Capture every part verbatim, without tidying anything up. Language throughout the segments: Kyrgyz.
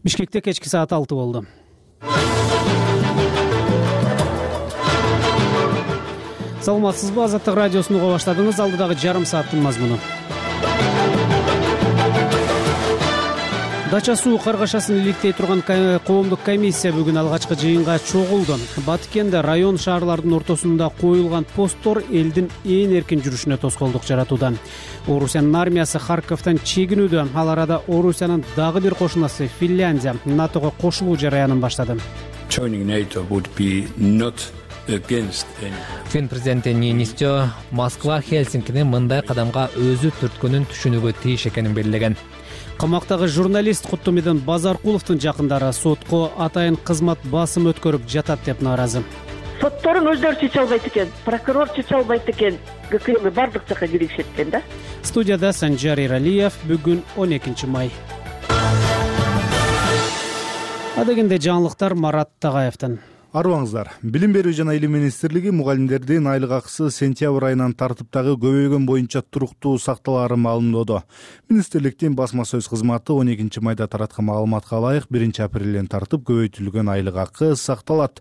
Бишкекте кечки саат алты болду. Саламатсызбы? Азаттык радиосун уга баштадыңыз. Алдыдагы жарым сааттын мазмуну. Дача суу каргашасын иликтей турган коомдук комиссия бүгүн алгачкы жыйынга чогулду. Баткенде район шаарлардын ортосунда коюлган посттор элдин ээн эркин жүрүшүнө тоскоолдук жаратууда. Орусиянын армиясы Харьковдон чегинүүдө. Ал арада Орусиянын дагы бир кошунасы Финляндия НАТОго кошулуу жараянын баштады. Фин президенти Нинистё Москва Хельсинкини мындай кадамга өзү түрткөнүн түшүнүүгө тийиш экенин белгилеген. Камактагы журналист Куттумидин Базаркуловдун жакындары сотко атайын кызмат басым өткөрүп жатат деп нааразы. Сотторун өздөрү чече албайт экен, прокурор чече албайт экен, ГКМ бардык жака киришет экен да. Студияда Санжар Иралиев. Бүгүн он экинчи май. Адегенде жаңылыктар Марат Тагаевден. Арыбаңыздар. Билим берүү жана илим министрлиги мугалимдердин айлык акысы сентябрь айынан тартыптагы көбөйгөн боюнча туруктуу сакталаарын маалымдоодо. Министрликтин басма сөз кызматы он экинчи майда тараткан маалыматка ылайык биринчи апрелден тартып көбөйтүлгөн айлык акы сакталат.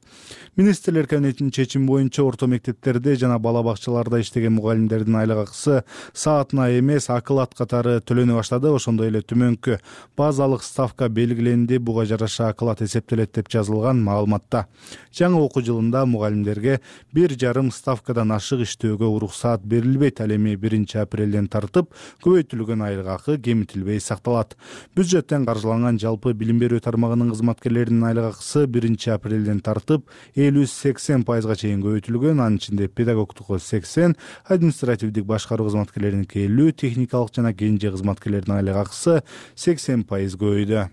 Министрлер кабинетинин чечими боюнча орто мектептерде жана бала бакчаларда иштеген мугалимдердин айлык акысы саатына эмес оклад катары төлөнө баштады. Ошондой эле төмөнкү базалык ставка белгиленди. Буга жараша оклад эсептелет деп жазылган маалыматта. Жаңы окуу жылында мугалимдерге бир жарым ставкадан ашык иштөөгө уруксаат берилбейт. Ал эми биринчи апрелден тартып көбөйтүлгөн айлык акы кемитилбей сакталат. Бюджеттен каржыланган жалпы билим берүү тармагынын кызматкерлеринин айлык акысы биринчи апрелден тартып элүү сексен пайызга чейин көбөйтүлгөн. Анын ичинде педагогтуку сексен, административдик башкаруу кызматкерлериники элүү, техникалык жана кенже кызматкерлердин айлык акысы сексен пайыз көбөйдү.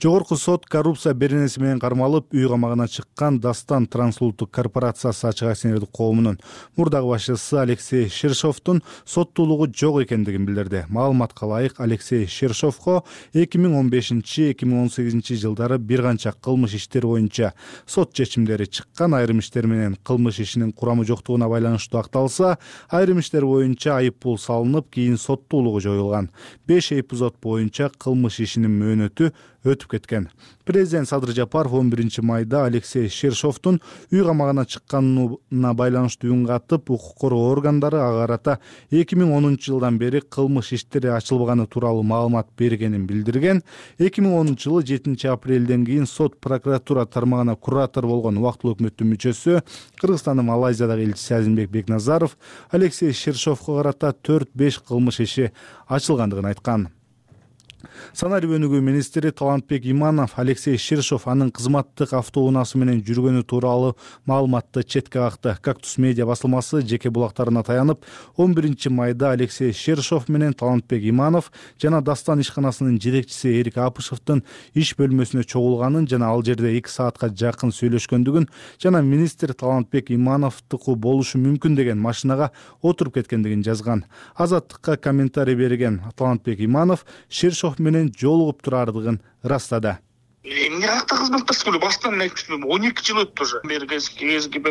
Жогорку сот коррупция беренеси менен кармалып үй камагына чыккан Дастан трансулуттук корпорациясы ачык акционердик коомунун мурдагы башчысы Алексей Шершовдун соттуулугу жок экендигин билдирди. Маалыматка ылайык Алексей Шершовго эки миң он бешинчи — эки миң он сегизинчи жылдары бир канча кылмыш иштер боюнча сот чечимдери чыккан. Айрым иштер менен кылмыш ишинин курамы жоктугуна байланыштуу акталса, айрым иштер боюнча айып пул салынып, кийин соттуулугу жоюлган. беш эпизод боюнча кылмыш ишинин мөөнөтү өтүп кеткен. Президент Садыр Жапаров он биринчи майда Алексей Шершовдун үй камагына чыкканына байланыштуу үн катып, укук коргоо органдары ага карата эки миң онунчу жылдан бери кылмыш иштери ачылбаганы тууралуу маалымат бергенин билдирген. эки миң онунчу жылы жетинчи апрелден кийин сот прокуратура тармагына куратор болгон убактылуу өкмөттүн мүчөсү, Кыргызстандын Малайзиядагы элчиси Азимбек Бекназаров Алексей Шершовго карата төрт беш кылмыш иши ачылгандыгын айткан. Санарип өнүгүү министри Талантбек Иманов Алексей Шершов анын кызматтык автоунаасы менен жүргөнү тууралуу маалыматты четке какты. Кактус медиа басылмасы жеке булактарына таянып, он биринчи майда Алексей Шершов менен Талантбек Иманов жана Дастан ишканасынын жетекчиси Эрик Апышевдин иш бөлмөсүнө чогулганын жана ал жерде эки саатка жакын сүйлөшкөндүгүн жана министр Талантбек Имановдуку болушу мүмкүн деген машинага отуруп кеткендигин жазган. Азаттыкка комментарий берген Талантбек Иманов Шершов менен жолугуп турардыгын ырастады. Эмне катта кызматташкан эле баштан айтып, он эки жыл өттү уже. КСГП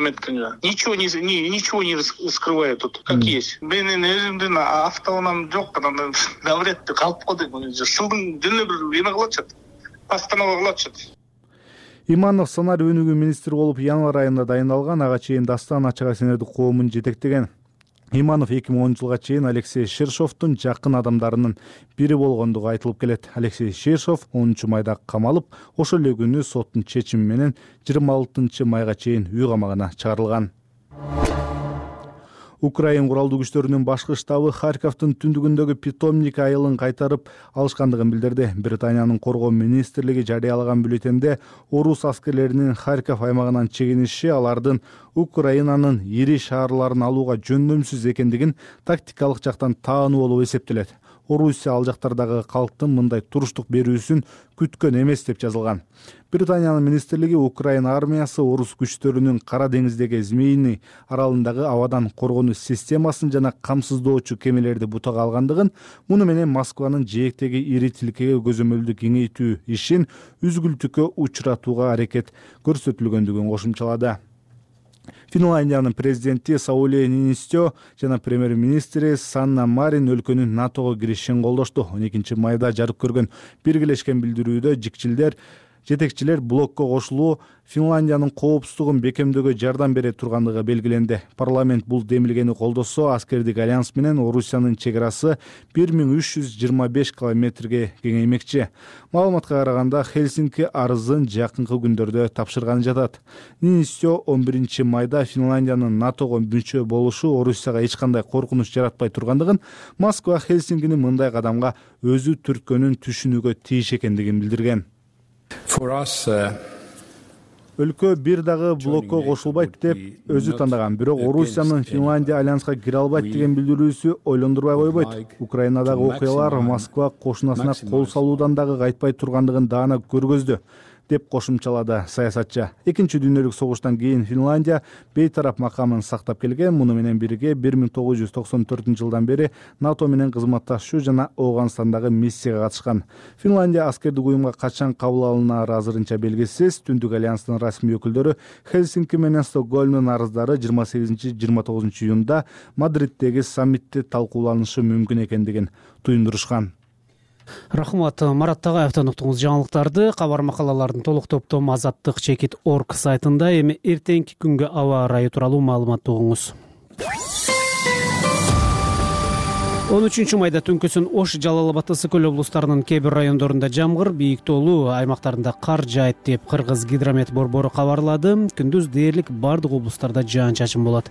ничего не ничего не скрывает тут, как есть. Менин өзүмдүн автоунам жок, анан давретте калып калдым. Жылдын жөнү бир эме кылачат. Постанова кылачат. Иманов санарип өнүгүү министри болуп январь айында дайындалган. Ага чейин Дастан ачык акционердик коомун жетектеген. Иманов эки миң онунчу жылга чейин Алексей Шершовдун жакын адамдарынын бири болгондугу айтылып келет. Алексей Шершов онунчу майда камалып, ошол эле күнү соттун чечими менен жыйырма алтынчы майга чейин үй камагына чыгарылган. Украин куралдуу күчтөрүнүн башкы штабы Харьковдун түндүгүндөгү питомник айылын кайтарып алышкандыгын билдирди. Британиянын коргоо министрлиги жарыялаган бюллетенде орус аскерлеринин Харьков аймагынан чегиниши алардын Украинанын ири шаарларын алууга жөндөмсүз экендигин тактикалык жактан таануу болуп эсептелет. Орусия ал жактардагы калктын мындай туруштук берүүсүн күткөн эмес деп жазылган. Британиянын министрлиги Украина армиясы орус күчтөрүнүн Кара деңиздеги Змеиный аралындагы абадан коргонуу системасын жана камсыздоочу кемелерди бутага алгандыгын, муну менен Москванын жээктеги ири тилкеге көзөмөлдү кеңейтүү ишин үзгүлтүккө учуратууга аракет көрсөтүлгөндүгүн кошумчалады. Финляндиянын президенти Саули Ниинистё жана премьер-министри Санна Марин өлкөнүн натого киришин колдошту. он экинчи майда жарык көргөн биргелешкен билдирүүдө жикчилдер жетекчилер блокко кошулуу Финляндиянын коопсуздугун бекемдөөгө жардам бере тургандыгы белгиленди. Парламент бул демилгени колдосо, аскердик альянс менен Орусиянын чек арасы бир миң үч жүз жыйырма беш километрге кеңеймекчи. Маалыматка караганда Хельсинки арызын жакынкы күндөрдө тапшырганы жатат. Ниинистё он биринчи майда Финляндиянын натого мүчө болушу Орусияга эч кандай коркунуч жаратпай тургандыгын, Москва Хельсинкини мындай кадамга өзү түрткөнүн түшүнүүгө тийиш экендигин билдирген. Өлкө бир дагы блокко кошулбайт деп өзү тандаган, бирок Орусиянын Финляндия альянска кире албайт деген билдирүүсү ойлондурбай койбойт. Украинадагы окуялар Москва кошунасына кол салуудан дагы кайтпай тургандыгын даана көргөздү, деп кошумчалады саясатчы. Экинчи дүйнөлүк согуштан кийин Финляндия бейтарап макамын сактап келген. Муну менен бирге бир миң тогуз жүз токсон төртүнчү жылдан бери НАТО менен кызматташуу жана Афганстандагы миссияга катышкан. Финляндия аскердик уюмга качан кабыл алынары азырынча белгисиз. Түндүк альянстын расмий өкүлдөрү Хельсинки менен Стокгольмдун арыздары жыйырма сегизинчи жыйырма тогузунчу июнда Мадриттеги саммитте талкууланышы мүмкүн экендигин туюндурушкан. Рахмат, Марат Тагаевден уктуңуз жаңылыктарды. Кабар макалалардын толук топтому азаттык чекит точка орг сайтында, эми эртеңки күнгө аба ырайы тууралуу маалыматты угуңуз. он үчүнчү майда түнкүсүн Ош, Жалал Абад, Ысык Көл облустарынын кээ бир райондорунда жамгыр, бийик тоолуу аймактарында кар жаайт деп Кыргыз гидромет борбору кабарлады. Күндүз дээрлик бардык облустарда жаан-чачын болот.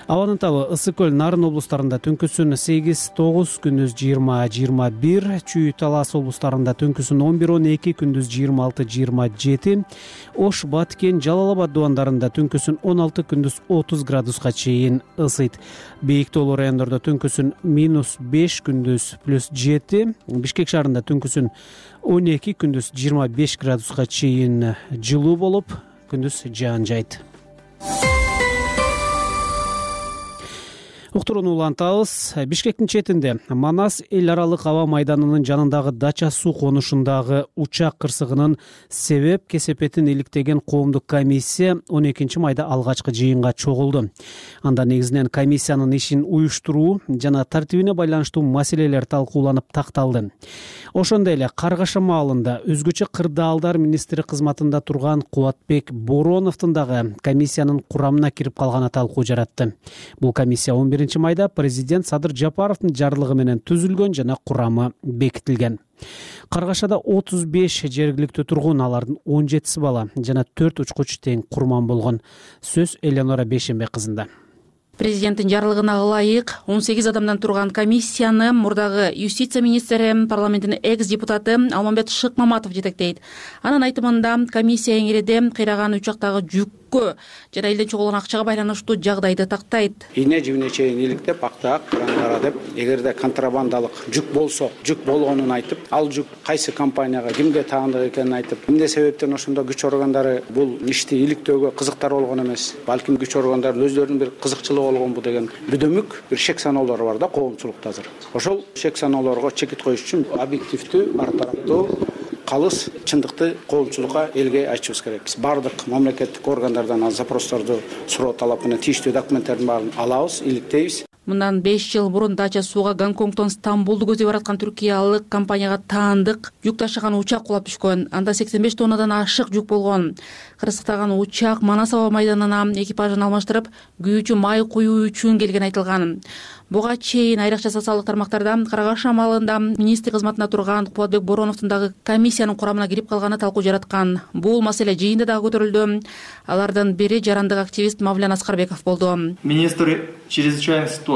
Абанын табы Ысык Көл, Нарын облустарында түнкүсүн сегиз тогуз, күндүз жыйырма жыйырма бир, Чүй, Талас облустарында түнкүсүн он бир он эки, күндүз жыйырма алты жыйырма жети, Ош, Баткен, Жалал Абад дубандарында түнкүсүн он алты, күндүз отуз градуска чейин ысыйт. Бийик тоолуу райондордо түнкүсүн минус беш, күндүз плюс жети, Бишкек шаарында түнкүсүн он эки, күндүз жыйырма беш градуска чейин жылуу болуп, күндүз жаан жайт. Уктурууну улантабыз. Бишкектин четинде Манас эл аралык аба майданынын жанындагы дача суу конушундагы учак кырсыгынын себеп кесепетин иликтеген коомдук комиссия он экинчи майда алгачкы жыйынга чогулду. Анда негизинен комиссиянын ишин уюштуруу жана тартибине байланыштуу маселелер талкууланып такталды. Ошондой эле Каргаша маалында өзгөчө кырдаалдар министри кызматында турган Кубатбек Бороновдун дагы комиссиянын курамына кирип калганы талкуу жаратты. Бул комиссия он биринчи майда президент Садыр Жапаровдун жарлыгы менен түзүлгөн жана курамы бекитилген. Каргашада отуз беш жергиликтүү тургун, алардын он жетиси бала жана төрт учкуч тең курман болгон. Сөз Элеонора Бейшенбек кызында. Президенттин жарлыгына ылайык он сегиз адамдан турган комиссияны мурдагы юстиция министри, парламенттин экс-депутаты Алмамбет Шыкмаматов жетектейт. Анын айтымында комиссия эңиреде кыйраган учактагы жүккө жана элден чогулган акчага байланыштуу жагдайды тактайт. Ийне жибине чейин иликтеп, актаак крандара деп, эгерде контрабандалык жүк болсо, жүк болгонун айтып, ал жүк кайсы компанияга, кимге таандык экенин айтып, эмне себептен ошондо күч органдары бул ишти иликтөөгө кызыктар болгон эмес. Балким күч органдары өздөрүнүн бир кызыкчылыгы болгон бу деген бүдөмүк бир шек саноолор бар да коомчулукта азыр. Ошол шек саноолорго чекит коюш үчүн объективдүү, ар тараптуу, калыс чындыкты коомчулукка, элге айтышыбыз керек. Биз бардык мамлекеттик органдардан запросторду суроо талап менен тийиштүү документтердин баарын алабыз, иликтейбиз. Мындан беш жыл мурун дача сууга Гонконгдон Стамбулду көздөй бараткан түркиялык компанияга таандык жүк ташыган учак кулап түшкөн. Анда сексен беш тоннадан ашык жүк болгон. Кырсыктаган учак Манас аба майданына экипажын алмаштырып, күйүүчү май куюу үчүн келген айтылган. Буга чейин айрыкча социалдык тармактарда Каргаша маалында министр кызматында турган Кубатбек Бороновдун дагы комиссиянын курамына кирип калганы талкуу жараткан. Бул маселе жыйында дагы көтөрүлдү. Алардын бири жарандык активист Мавлян Аскарбеков болду. Министр чрезвычайной ситуации.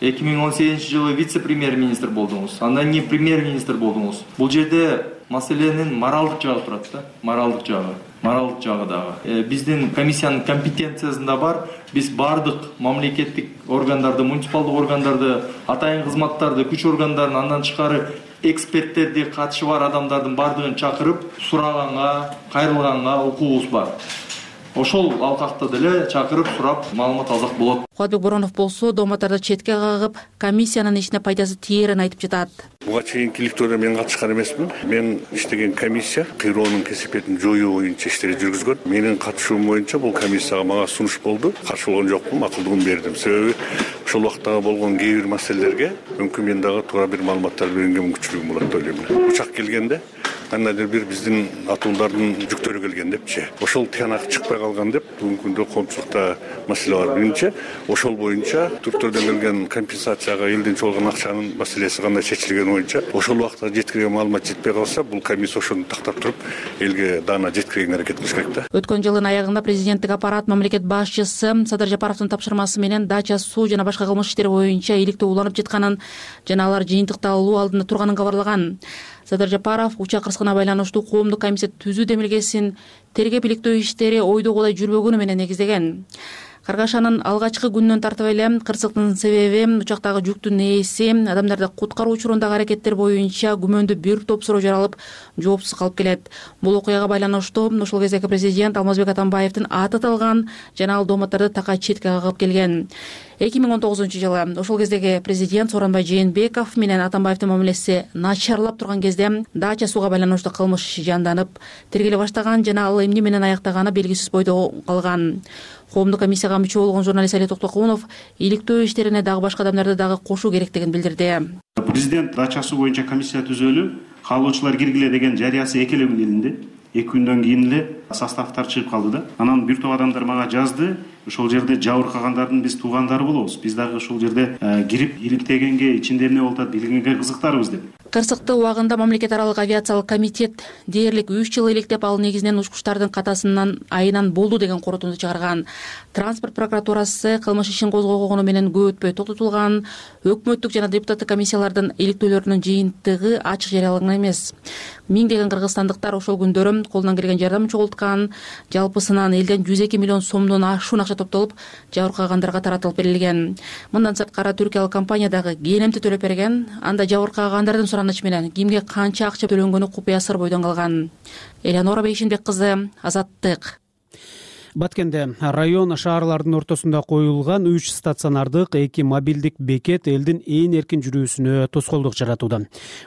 эки миң он сегизинчи жылы вице-премьер-министр болдуңуз. Андан кийин премьер-министр болдуңуз. Бул жерде маселенин моралдык жагы турат да, моралдык жагы. Моралдык жагы дагы. Э, биздин комиссиянын компетенциясында бар. Биз бардык мамлекеттик органдарды, муниципалдык органдарды, атайын кызматтарды, күч органдарын, андан тышкары эксперттерди, катышы бар адамдардын бардыгын чакырып, сураганга, кайрылганга укугубуз бар. ошол алкакта деле чакырып сурап маалымат алсак болот. Кубатбек Боронов болсо дооматтарды четке кагып, комиссиянын ишине пайдасы тиерин айтып жатат. Буга чейинки иликтөөнө мен катышкан эмесмин. Мен иштеген комиссия кыйроонун кесепетин жоюу боюнча иштери жүргүзгөн. Менин катышуум боюнча бул комиссияга мага сунуш болду. Каршы болгон жокмун, акылдыгын бердим. Себеби ошол убактагы болгон кээ бир маселелерге мүмкүн мен дагы туура бир маалыматтар берүүгө мүмкүнчүлүгүм болот деп ойлойм. Учак келгенде кандайдыр бир биздин атуулдардын жүктөрү келген депчи. Ошол тыянак чыкпай калган деп бүгүнкү күндө коомчулукта маселе бар. Биринчи, ошол боюнча түрктөрдөн келген компенсацияга элден чогулган акчанын маселеси кандай чечилгени боюнча ошол убакта жеткирген маалымат жетпей калса, бул комиссия ошону тактап туруп элге даана жеткирген аракет кылыш керек да. Өткөн жылдын аягында президенттик аппарат мамлекет башчысы Садыр Жапаровдун тапшырмасы менен дача суу жана башка кылмыш иштери боюнча иликтөө уланып жатканын жана алар жыйынтыкталуу алдында турганын кабарлаган. Садыр Жапаров учак кырсыгына байланыштуу коомдук комиссия түзүү демилгесин тергеп иликтөө иштери ойдогудай жүрбөгөнү менен негиздеген. Каргашанын алгачкы күнүнөн тартып эле кырсыктын себеби, учактагы жүктүн ээси, адамдарды куткаруу учурундагы аракеттер боюнча күмөндүү бир топ суроо жаралып, жоопсуз калып келет. Бул окуяга байланыштуу ошол кездеги президент Алмазбек Атамбаевдин аты аталган жана ал дооматтарды такай четке кагып келген. эки миң он тогузунчу жылы ошол кездеги президент Сооронбай Жээнбеков менен Атамбаевдин мамилеси начарлап турган кезде дача сууга байланыштуу кылмыш жанданып, тергеле баштаган жана ал эмне менен аяктаганы белгисиз бойдо калган. Коомдук комиссияга мүчө болгон журналист Али Токтокунов иликтөө иштерине дагы башка адамдарды дагы кошуу керектигин билдирди. Президент дача суу боюнча комиссия түзөлүп, каалоочулар киргиле деген жарыясы эки эле күн элинде. эки күндөн кийин эле составтар чыгып калды да. Анан бир топ адамдар мага жазды. Ошол жерде жабыркагандардын биз туугандары болобуз. Биз дагы ошол жерде кирип иликтегенге, ичинде эмне болуп атат билгенге кызыктарбыз деп. Кырсыкты убагында мамлекет аралык авиациялык комитет дээрлик үч жыл иликтеп, ал негизинен учкучтардын катасынан айынан болду деген корутунду чыгарган. Транспорт прокуратурасы кылмыш ишин козгогону менен көп өтпөй токтотулган. Өкмөттүк жана депутаттык комиссиялардын иликтөөлөрүнүн жыйынтыгы ачык жарыялаган эмес. Миңдеген кыргызстандыктар ошол күндөрү колунан келген жардам чогулткан. Жалпысынан элден жүз эки миллион сомдон ашуун акча топтолуп, жабыркагандарга таратылып берилген. Мындан сырткары түркиялык компания дагы келемти төлөп берген. Анда жабыркагандардын суранышы менен кимге канча акча төлөнгөнү купуя сыр бойдон калган. Элеонора Бейшенбек кызы, Азаттык. Баткенде район шаарлардын ортосунда коюлган үч стационардык эки мобилдик бекет элдин ээн эркин жүрүүсүнө тоскоолдук жаратууда.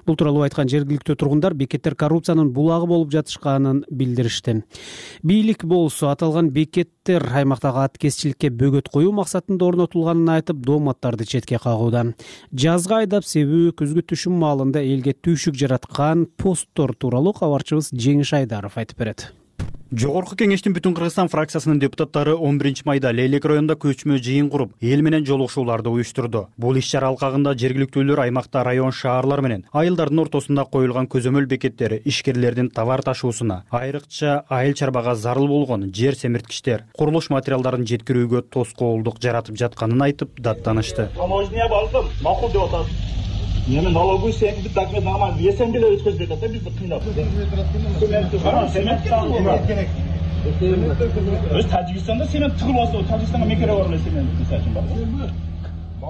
Бул тууралуу айткан жергиликтүү тургундар бекеттер коррупциянын булагы болуп жатышканын билдиришти. Бийлик болсо аталган бекеттер аймактагы аткезчиликке бөгөт коюу максатында орнотулганын айтып, дооматтарды четке кагууда. Жазга айдап себүү күзгү түшүм маалында элге түйшүк жараткан посттор тууралуу кабарчыбыз Жеңиш Айдаров айтып берет. Жогорку кеңештин Бүтүн Кыргызстан фракциясынын депутаттары он биринчи майда Лейлек районунда көчмө жыйын куруп, эл менен жолугушууларды уюштурду. Бул иш-чара алкагында жергиликтүүлөр аймакта район шаарлар менен айылдардын ортосунда коюлган көзөмөл бекеттер ишкерлердин товар ташуусуна, айрыкча айыл чарбага зарыл болгон жер семирткичтер, курулуш материалдарын жеткирүүгө тоскоолдук жаратып жатканын айтып даттанышты. Таможня балдым, макул деп атат. Мен налоговый секторду документ нормально весем деле өткөзбөйт атат, бизди кыйнап. Өз Тажикстанда семент тыгылбаса, Тажикстанга мекере бар эле семент мисалы бар.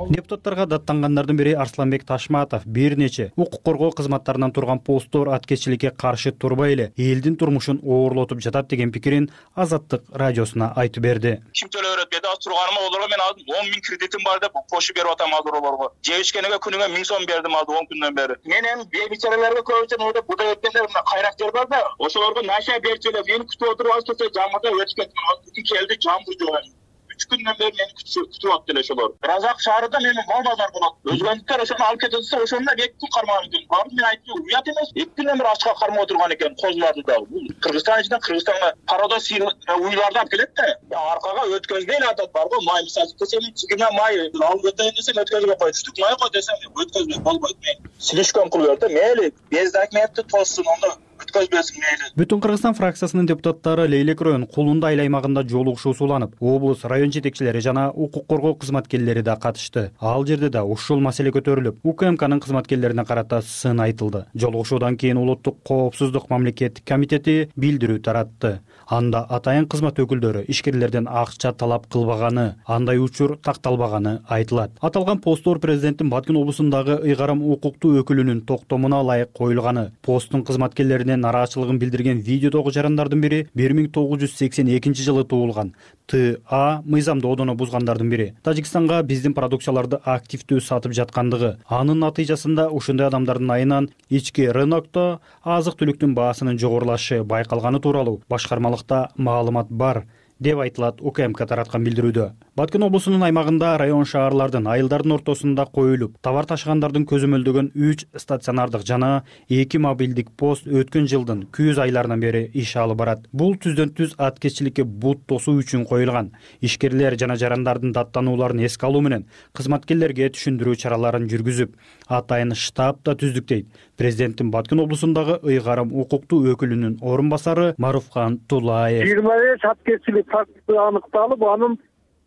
Депутаттарга даттангандардын бири Арсланбек Ташматов бир нече укук коргоо кызматтарынан турган посттор аткезчиликке каршы турбай эле элдин турмушун оорлотуп жатат деген пикирин Азаттык радиосуна айтып берди. Ким төлөп берет деди, турганыма олорго мен он миң кредитим бар деп кошуп берип атам азырлорго. Жебишкенеге күнүгө миң сом бердим азыр он күндөн бери. Мен эми бейбичараларга көбүнчө ойдоп буда өткөндөр мына кайрактар бар да, ошолорго наша берчилеп, мени күтүп отуруп алып келсе жамгырда өтүп кеттим. Азыр келди жамгыр жок. үч күндөн бери мени күтүп атты эле ошолор. Разак шаарында менин мал базар болот. Өзгөнтүктөр ошону алып кетет десе, ошондо эки күн кармаган экен. Барды мен айттым, уят эмес. эки күндөн бери ачка кармап отурган экен козуларды да. Бул Кыргызстан ичинен Кыргызстанга парада уйларды алып келет да. Аркага өткөзбөй эле атат бар го, май мисалы десем, чигиме май алып кетейин десем өткөзбөй коет. Түтүк май го десем, өткөзбөй болбойт. Мен слишком кылып берди. Мейли, без документти тоссун, ондо Бүтүн Кыргызстан фракциясынын депутаттары Лейлек район Кулунда айыл аймагында жолугушуу сууланып, облус район жетекчилери жана укук коргоо кызматкерлери да катышты. Ал жерде да ушул маселе көтөрүлүп, УКМКнын кызматкерлерине карата сын айтылды. Жолугушуудан кийин Улуттук коопсуздук мамлекеттик комитети билдирүү таратты. Анда атайын кызмат өкүлдөрү ишкерлерден акча талап кылбаганы, андай учур такталбаганы айтылат. Аталган посттор президенттин Баткен облусундагы ыйгарым укуктуу өкүлүнүн токтомуна ылайык коюлганы, посттун кызматкерлеринен нараатчылыгын билдирген видеодогу жарандардын бири бир миң тогуз жүз сексен экинчи жылы туулган Т А мыйзамдоодону бузгандардын бири. Тажикстанга биздин продукцияларды активдүү сатып жаткандыгы, анын натыйжасында ошондой адамдардын айынан ички рынокто азык-түлүктүн баасынын жогорулашы байкалганы тууралуу башкармалыкта маалымат бар деп айтылат У К М К тараткан билдирүүдө. Баткен облусунун аймагында район шаарлардын айылдардын ортосунда коюлуп, товар ташыгандардын көзөмөлдөгөн үч стационардык жана эки мобилдик пост өткөн жылдын күз айларынан бери иш алып барат. Бул түздөн түз аткеччиликке бут тосуу үчүн коюлган. Ишкерлер жана жарандардын даттанууларын эске алуу менен кызматкерлерге түшүндүрүү чараларын жүргүзүп, атайын штаб да түздүк дейт президенттин Баткен облусундагы ыйгарым укуктуу өкүлүнүн орун басары Маруфкан Тулаев. жыйырма беш аткеччилик фактысы аныкталып, анын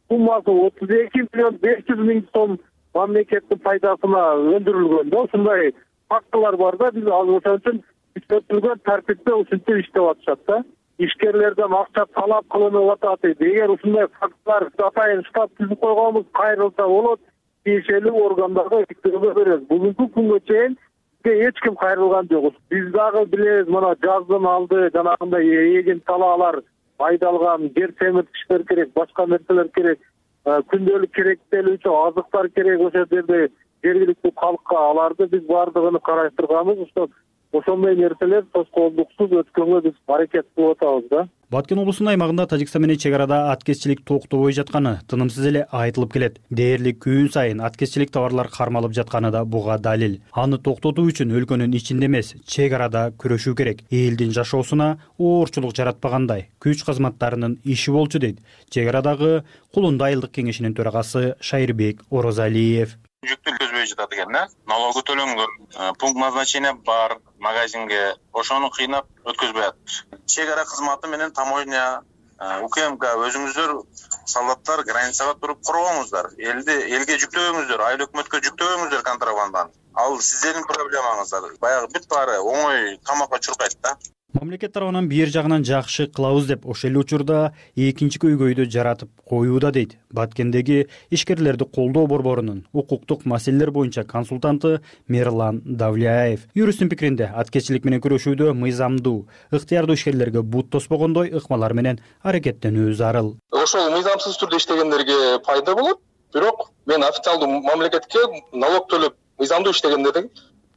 суммасы отуз эки миллион беш жүз миң сом мамлекеттин пайдасына өндүрүлгөн да. Ушундай фактылар бар да, биз ал ошон үчүн күчөтүлгөн тартипте ушинтип иштеп атышат да. Ишкерлерден акча талап кылынып атат. Эгер ушундай фактылар атайын штаб түзүп койгонбуз, кайрылса болот, тиешелүү органдарга иктөөгө беребиз. Бүгүнкү күнгө чейин эч ким кайрылган жок. Биз дагы билебиз, мына жаздын алды жанагындай эгин талаалар айдалган, жер семиртиштер керек, башка нерселер керек, күндөлүк керектелүүчү азыктар керек. Ошол жерде жергиликтүү калкка аларды биз баардыгын караштырганбыз. Ошондой нерселер тоскоолдуксуз өткөнгө биз аракет кылып атабыз да. Баткен облусунун аймагында Тажикстан менен чек арада аткеччилик токтобой жатканы тынымсыз эле айтылып келет. Дээрлик күн сайын аткеччилик товарлар кармалып жатканы да буга далил. Аны токтотуу үчүн өлкөнүн ичинде эмес, чек арада күрөшүү керек. Элдин жашоосуна оорчулук жаратпагандай күч кызматтарынын иши болчу дейт чек арадагы Кулунду айылдык кеңешинин төрагасы Шайырбек Орозалиев. Жүктү көзбөй жатат экен, да? Налогу төлөнгөн, пункт назначения бар, магазинге, ошону кыйнап өткөзбөй атат. Чек ара кызматы менен таможня, У К М К өзүңүздөр солдаттар границага туруп коргоңуздар. Элди элге жүктөбөңүздөр, айыл өкмөткө жүктөбөңүздөр контрабанданы. Ал сиздердин проблемаңыздар. Баягы бүт баары оңой камакка чуркайт да. Мамлекет тарабынан бир жагынан жакшы кылабыз деп ошол эле учурда экинчи көйгөйдү жаратып коюуда дейт Баткендеги ишкерлерди колдоо борборунун укуктук маселелер боюнча консультанты Мерлан Давляев. Юристтин пикиринде аткеччилик менен күрөшүүдө мыйзамдуу, ыктыярдуу ишкерлерге бут тоспогондой ыкмалар менен аракеттенүү зарыл. Ошол мыйзамсыз түрдө иштегендерге пайда болот, бирок мен официалдуу мамлекетке налог төлөп мыйзамдуу иштегендердин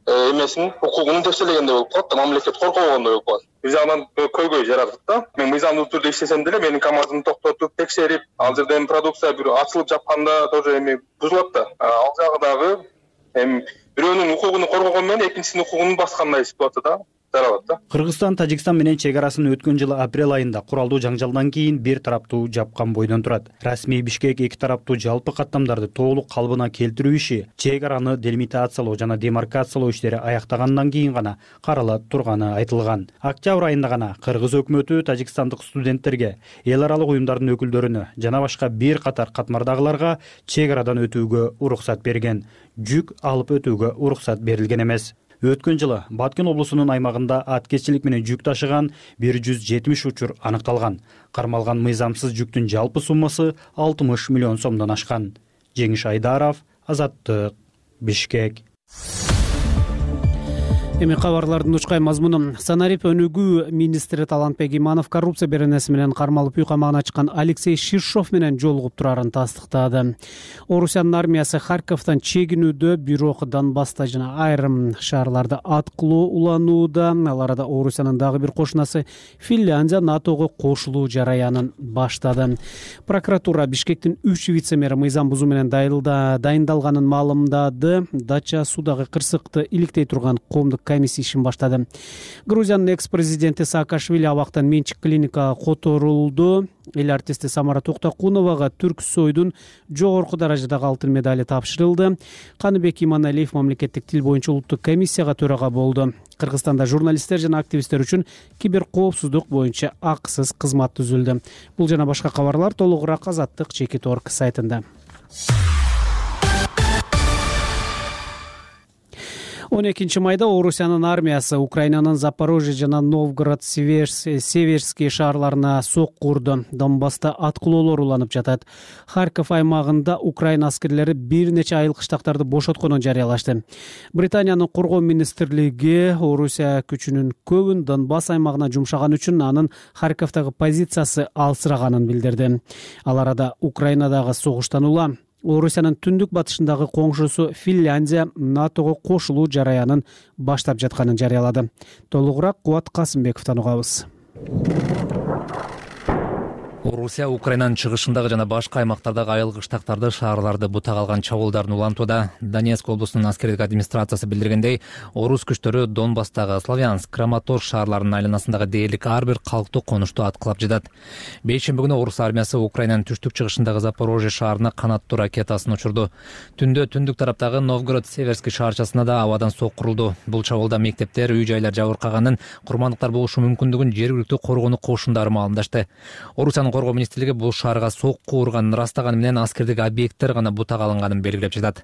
эмесин укугун тепселегендей болуп калат да, мамлекет коркогондой болуп калат. Бир жагынан көйгөй жаратат да. Мен мыйзамдуу түрдө иштесем деле менин КАМАЗымды токтотуп, текшерип, ал жерден продукция бир ачылып жапканда тоже эми бузулат да. Ал жагы дагы эми бирөөнүн укугун коргогон менен экинчисинин укугун баскандай ситуация да. Кыргызстан Тажикстан менен чек арасын өткөн жылы апрель айында куралдуу жаңжалдан кийин бир тараптуу жапкан бойдон турат. Расмий Бишкек эки тараптуу жалпы каттамдарды толук калыбына келтирүү иши, чек араны делимитациялоо жана демаркациялоо иштери аяктагандан кийин гана карала турганы айтылган. Октябрь айында гана Кыргыз өкмөтү тажикстандык студенттерге, эл аралык уюмдардын өкүлдөрүнө жана башка бир катар катмардагыларга чек арадан өтүүгө уруксат берген. Жүк алып өтүүгө уруксат берилген эмес. Өткөн жылы Баткен облусунун аймагында аткеччилик менен жүк ташыган бир жүз жетимиш учур аныкталган. Кармалган мыйзамсыз жүктүн жалпы суммасы алтымыш миллион сомдон ашкан. Жеңиш Айдаров, Азаттык, Бишкек. Эми кабарлардын учкай мазмуну. Санарип өнүгүү министри Талантбек Иманов коррупция беренеси менен кармалып үй камагына чыккан Алексей Ширшов менен жолугуп турарын тастыктады. Орусиянын армиясы Харьковдон чегинүүдө, бирок Донбасста жана айрым шаарларда аткылоо уланууда. Ал арада Орусиянын дагы бир кошунасы Финляндия НАТОго кошулуу жараянын баштады. Прокуратура Бишкектин үч вице-мэри мыйзам бузуу менен дайындалганын маалымдады. Дача судагы кырсыкты иликтей турган коомдук комиссия ишин баштады. Грузиянын экс-президенти Саакашвили абактан менчик клиника которулду. Эл артисти Самара Токтокуновага Түрксойдун жогорку даражадагы алтын медали тапшырылды. Каныбек Иманалиев мамлекеттик тил боюнча улуттук комиссияга төрага болду. Кыргызстанда журналисттер жана активисттер үчүн киберкоопсуздук боюнча акысыз кызмат түзүлдү. Бул жана башка кабарлар толугураак Азаттык чекит точка орг сайтында. он экинчи майда Орусиянын армиясы Украинанын Запорожье жана Новгород Северский шаарларына сокку урду. Донбасста аткылоолор уланып жатат. Харьков аймагында Украина аскерлери бир нече айыл кыштактарды бошотконун жарыялашты. Британиянын коргоо министрлиги Орусия күчүнүн көбүн Донбасс аймагына жумшаган үчүн анын Харьковдогу позициясы алсыраганын билдирди. Ал арада Украинадагы согуштан улам Орусиянын түндүк батышындагы коңшусу Финляндия НАТОго кошулуу жараянын баштап жатканын жарыялады. Толугураак Кубат Касымбековдон угабыз. Орусия Украинанын чыгышындагы жана башка аймактардагы айыл кыштактарды, шаарларды бутак алган чабуулдарын улантууда. Донецк облусунун аскердик администрациясы билдиргендей, орус күчтөрү Донбасстагы Славянск, Краматорск шаарларынын айланасындагы дээрлик ар бир калктуу конушту аткылап жатат. Бейшемби күнү орус армиясы Украинанын түштүк чыгышындагы Запорожье шаарына канаттуу ракетасын учурду. Түндө түндүк тараптагы Новгород Северский шаарчасына да абадан сокку урулду. Бул чабуулда мектептер, үй жайлар жабыркаганын, курмандыктар болушу мүмкүндүгүн жергиликтүү коргонуу кошундары маалымдашты. Орусиянын коргоо министрлиги бул шаарга сокку урганын ырастаганы менен аскердик объекттер гана бутак алынганын белгилеп жатат.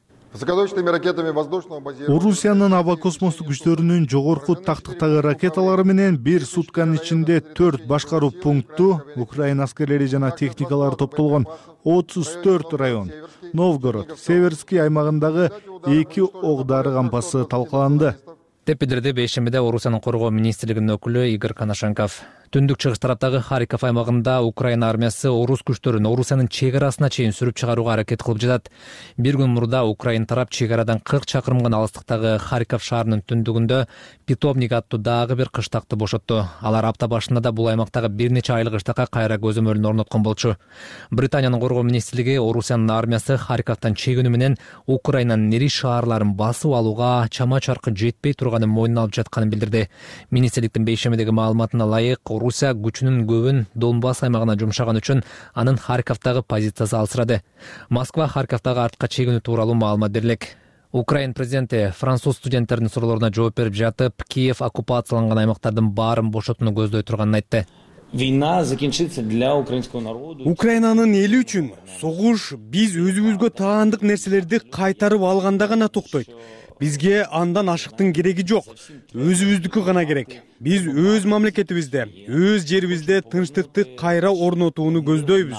Орусиянын аба космостук күчтөрүнүн жогорку тактыктагы ракеталары менен бир сутканын ичинде төрт башкаруу пункту, Украина аскерлери жана техникалары топтолгон отуз төрт район, Новгород, Северский аймагындагы эки ок дары кампасы талкаланды деп билдирди бейшембиде Орусиянын коргоо министрлигинин өкүлү Игорь Коношенков. Түндүк чыгыш тараптагы Харьков аймагында Украина армиясы орус күчтөрүн Орусиянын чек арасына чейин сүрүп чыгарууга аракет кылып жатат. Бир күн мурда Украина тарап чек арадан кырк чакырым гана алыстыктагы Харьков шаарынын түндүгүндө Питомник аттуу дагы бир кыштакты бошотту. Алар апта башында да бул аймактагы бир нече айыл кыштакка кайра көзөмөлүн орноткон болчу. Британиянын коргоо министрлиги Орусиянын армиясы Харьковдон чегинүү менен Украинанын ири шаарларын басып алууга чама чаркы жетпей турганын мойнуна алып жатканын билдирди. Министрликтин бейшембидеги маалыматына ылайык, Орусия күчүнүн көбүн Донбасс аймагына жумшаган үчүн анын Харьковдогу позициясы алсырады. Москва Харьковдогу артка чегинүү тууралуу маалымат берилек. Украин президенти француз студенттердин суроолоруна жооп берип жатып, Киев оккупацияланган аймактардын баарын бошотууну көздөй турганын айтты. Украинанын эли үчүн согуш биз өзүбүзгө таандык нерселерди кайтарып алганда гана токтойт. Бизге андан ашыктын кереги жок. Өзүбүздүкү гана керек. Биз өз мамлекетибизде, өз жерибизде тынчтыкты кайра орнотууну көздөйбүз.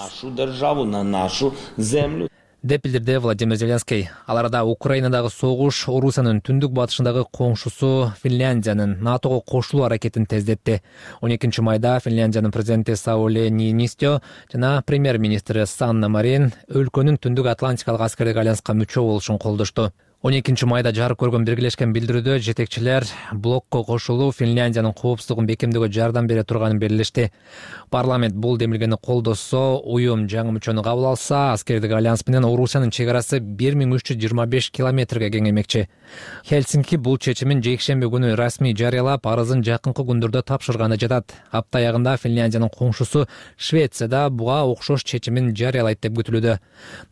деп билдирди Владимир Зеленский. Ал арада Украинадагы согуш Орусиянын түндүк батышындагы коңшусу Финляндиянын НАТОго кошулуу аракетин тездетти. он экинчи майда Финляндиянын президенти Саули Ниинистё жана премьер-министри Санна Марин өлкөнүн түндүк Атлантикалык аскердик альянска мүчө болушун колдошту. он экинчи майда жарык көргөн биргелешкен билдирүүдө жетекчилер блокко кошулуу Финляндиянын коопсуздугун бекемдөөгө жардам бере турганын белгилешти. Парламент бул демилгени колдосо, уюм жаңы мүчөнү кабыл алса, аскердик альянс менен Орусиянын чек арасы бир миң үч жүз жыйырма беш километрге кеңеймекчи. Хельсинки бул чечимин жекшемби күнү расмий жарыялап, арызын жакынкы күндөрдө тапшырганы жатат. Апта аягында Финляндиянын коңшусу Швецияда буга окшош чечимин жарыялайт деп күтүлүүдө.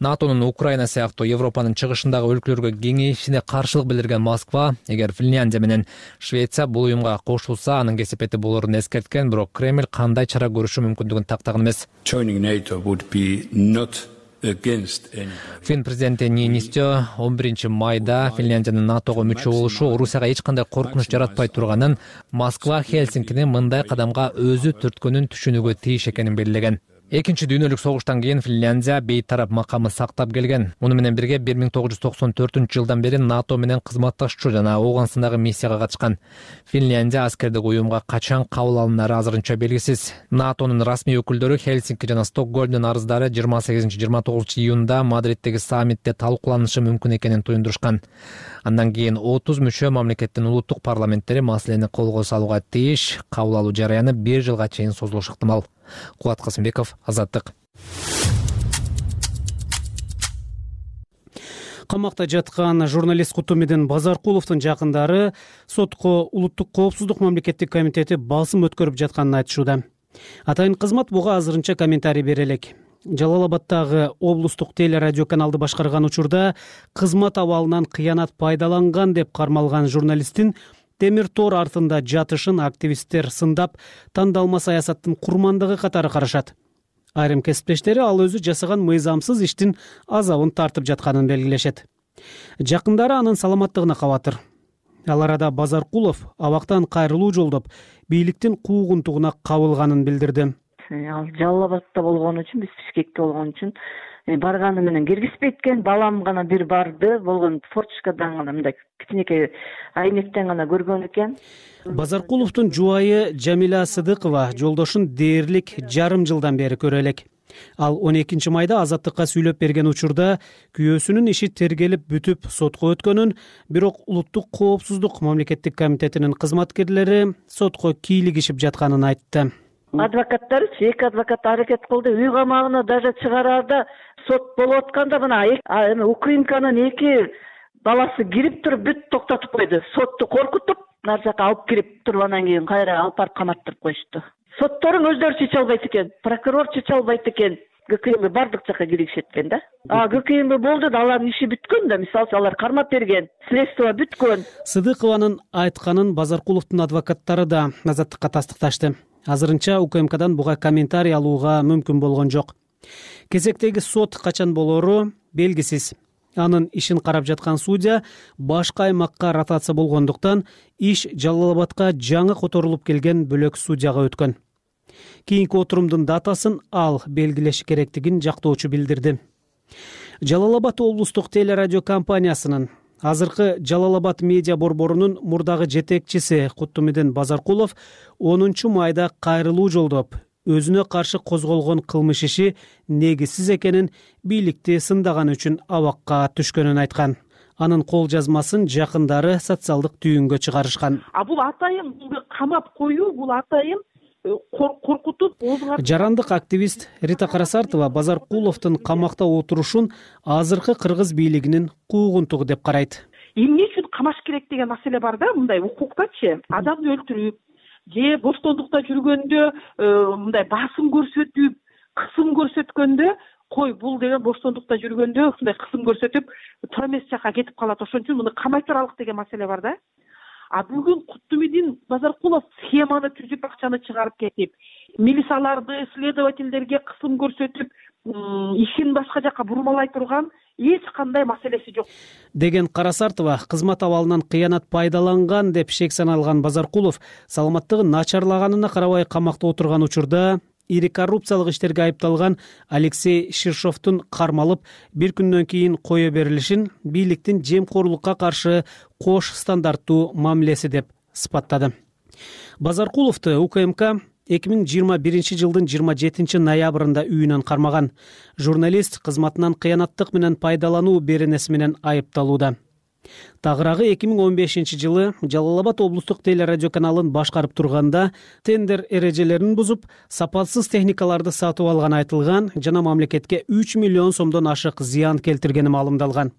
НАТОнун Украина сыяктуу Европанын чыгышындагы өлкөлөргө кеңейишине каршылык билдирген Москва, эгер Финляндия менен Швеция бул уюмга кошулса, анын кесепети болорун эскерткен, бирок Кремль кандай чара көрүшү мүмкүндүгүн тактаган эмес. Фин президенти Ниинистё он биринчи майда Финляндиянын НАТОго мүчө болушу Орусияга эч кандай коркунуч жаратпай турганын, Москва Хельсинкини мындай кадамга өзү түрткөнүн түшүнүүгө тийиш экенин белгилеген. Экинчи дүйнөлүк согуштан кийин Финляндия бейтарап макамы сактап келген. Муну менен бирге бир миң тогуз жүз токсон төртүнчү жылдан бери НАТО менен кызматташчу жана Ооганстандагы миссияга катышкан. Финляндия аскердик уюмга качан кабыл алынары азырынча белгисиз. НАТОнун расмий өкүлдөрү Хельсинки жана Стокгольмдун арыздары жыйырма сегизинчи жыйырма тогузунчу июнда Мадриттеги саммитте талкууланышы мүмкүн экенин туюндурушкан. Андан кийин отуз мүчө мамлекеттин улуттук парламенттери маселени колго салууга тийиш, кабыл алуу жараяны бир жылга чейин созулушу ыктымал. Кубат Касымбеков, Азаттык. Камакта жаткан журналист Кутумидин Базаркуловдун жакындары сотко улуттук коопсуздук мамлекеттик комитети басым өткөрүп жатканын айтышууда. Атайын кызмат буга азырынча комментарий бере элек. Жалал-Абадтагы облустук телерадио каналды башкарган учурда кызмат абалынан кыянат пайдаланган деп кармалган журналисттин темир тор артында жатышын активисттер сындап, тандалма саясаттын курмандыгы катары карашат. Айрым кесиптештери ал өзү жасаган мыйзамсыз иштин азабын тартып жатканын белгилешет. Жакындары анын саламаттыгына кабатыр. Ал арада Базаркулов абактан кайрылуу жолдоп, бийликтин куугунтугуна кабылганын билдирди. Ал Жалал Абадта болгон үчүн, биз Бишкекте болгон үчүн барганы менен киргизбейт экен. Балам гана бир барды, болгон форточкадан гана мындай кичинекей айнектен гана көргөн экен. Базаркуловдун жубайы Жамиля Сыдыкова жолдошун дээрлик жарым жылдан бери көрө элек. Ал он экинчи майда Азаттыкка сүйлөп берген учурда күйөөсүнүн иши тергелип бүтүп сотко өткөнүн, бирок Улуттук коопсуздук мамлекеттик комитетинин кызматкерлери сотко кийлигишип жатканын айтты. Адвокаттарычы эки адвокат аракет кылды. Үй камагына даже чыгараарда сот болуп атканда мына эми УКМКнын эки баласы кирип туруп бүт токтотуп койду. Сотту коркутуп, нар жака алып кирип туруп анан кийин кайра алып барып каматтырып коюшту. Сотторун өздөрү чече албайт экен, прокурор чече албайт экен. ГКМ бардык жака киришет экен да. А ГКМ болду да, алардын иши бүткөн да, мисалы алар кармап берген, следствие бүткөн. Сыдыкованын айтканын Базаркуловдун адвокаттары да Азаттыкка тастыкташты. Азырынча УКМКдан буга комментарий алууга мүмкүн болгон жок. Кезектеги сот качан болору белгисиз. Анын ишин карап жаткан судья башка аймакка ротация болгондуктан иш Жалал Абадка жаңы которулуп келген бөлөк судьяга өткөн. Кийинки отурумдун датасын ал белгилеши керектигин жактоочу билдирди. Жалал Абад облустук телерадио компаниясынын азыркы Жалал Абад медиа борборунун мурдагы жетекчиси Куттумидин Базаркулов онунчу майда кайрылуу жолдоп, өзүнө каршы козголгон кылмыш иши негизсиз экенин, бийликти сындаган үчүн абакка түшкөнүн айткан. Анын кол жазмасын жакындары социалдык түйүнгө чыгарышкан. А бул атайын камап коюу, бул атайын коркутуп оозуңа. Жарандык активист Рита Карасартова Базаркуловдун камакта отурушун азыркы кыргыз бийлигинин куугунтугу деп карайт. Эмне үчүн камаш керек деген маселе бар да, мындай укуктачы. Адамды өлтүрүп, же боштондукта жүргөндө мындай басым көрсөтүп, кысым көрсөткөндө, кой бул деген боштондукта жүргөндө ушундай кысым көрсөтүп, туура эмес жака кетип калат. Ошон үчүн муну камай туралык деген маселе бар да. А бүгүн Куттумидин Базаркулов схеманы түзүп, акчаны чыгарып кетип, милицияларды, следовательдерге кысым көрсөтүп, ишин башка жака бурмалай турган эч кандай маселеси жок деген Карасартова кызмат абалынан кыянат пайдаланган деп шек саналган Базаркулов саламаттыгы начарлаганына карабай камакта отурган учурда ири коррупциялык иштерге айыпталган Алексей Ширшовдун кармалып бир күндөн кийин кое берилишин бийликтин жемкорлукка каршы кош стандарттуу мамилеси деп сыпаттады. Базаркуловду УКМК эки миң жыйырма биринчи жылдын жыйырма жетинчи ноябрында үйүнөн кармаган. Журналист кызматынан кыянаттык менен пайдалануу беренеси менен айыпталууда. Тагыраагы эки миң он бешинчи жылы Жалал Абад облустук телерадио каналын башкарып турганда тендер эрежелерин бузуп, сапатсыз техникаларды сатып алганы айтылган жана мамлекетке үч миллион сомдон ашык зыян келтиргени маалымдалган.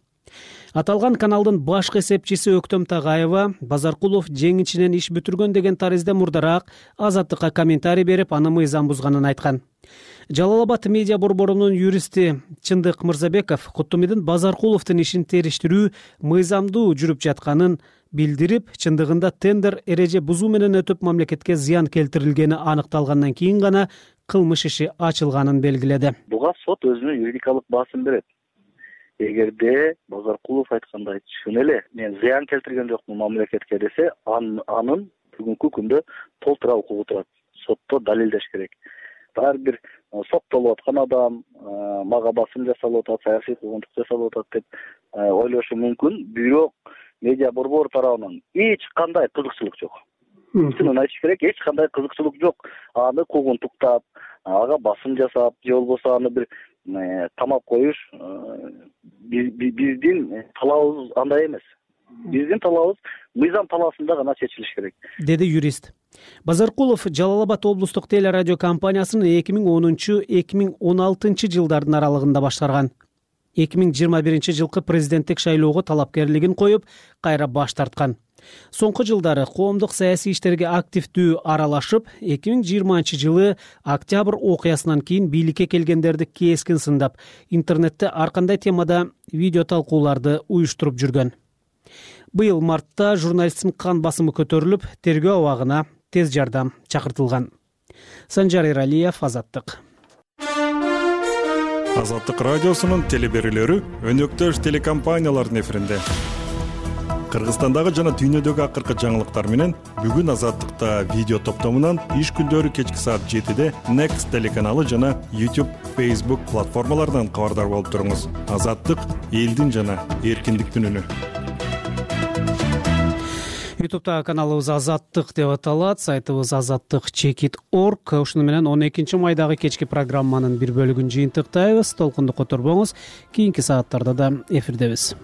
Аталган каналдын башкы эсепчиси Өктөм Тагаева Базаркулов жеңичинен иш бүтүргөн деген таризде мурдараак Азаттыкка комментарий берип, аны мыйзам бузганын айткан. Жалал Абад медиа борборунун юристи Чындык Мырзабеков Куттумидин Базаркуловдун ишин териштирүү мыйзамдуу жүрүп жатканын билдирип, чындыгында тендер эреже бузуу менен өтүп мамлекетке зыян келтирилгени аныкталгандан кийин гана кылмыш иши ачылганын белгиледи. Буга сот өзүнүн юридикалык баасын берет. Эгерде Базаркулов айткандай чын эле мен зыян келтирген жокмун мамлекетке десе, анын бүгүнкү күндө толтура укугу турат. Сотто далилдеш керек. Ар бир соттолуп аткан адам мага басым жасалып атат, саясий куугунтук жасалып атат деп ойлошу мүмкүн. Бирок медиа борбор тарабынан эч кандай кызыкчылык жок. Чынын айтыш керек, эч кандай кызыкчылык жок. Аны куугунтуктап, ага басым жасап, же болбосо аны бир камап коюш биздин талабыбыз андай эмес. Биздин талабыбыз мыйзам талаасында гана чечилиш керек, деди юрист. Базаркулов Жалал Абад облустук телерадио компаниясын эки миң онунчу — эки миң он алтынчы жылдардын аралыгында башкарган. эки миң жыйырма биринчи жылкы президенттик шайлоого талапкерлигин коюп, кайра баш тарткан. Соңку жылдары коомдук саясий иштерге активдүү аралашып, эки миң жыйырманчы жылы октябрь окуясынан кийин бийликке келгендерди кескин сындап, интернетте ар кандай темада видео талкууларды уюштуруп жүргөн. Быйыл мартта журналисттин кан басымы көтөрүлүп, тергөө абагына тез жардам чакыртылган. Санжар Эралиев, Азаттык. Азаттык радиосунун телеберүүлөрү өнөктөш телекомпаниялардын эфиринде. кыргызстандагы жана дүйнөдөгү акыркы жаңылыктар менен бүгүн Азаттыкта видео топтомунан иш күндөрү кечки саат жетиде Next телеканалы жана YouTube, Facebook платформаларынан кабардар болуп туруңуз. Азаттык — элдин жана эркиндиктин үнү. ютубта каналыбыз Азаттык деп аталат, сайтыбыз азаттык чекит точка орг. Ушуну менен он экинчи майдагы кечки программанын бир бөлүгүн жыйынтыктайбыз. Толкунду которбоңуз. Кийинки сааттарда да эфирдебиз.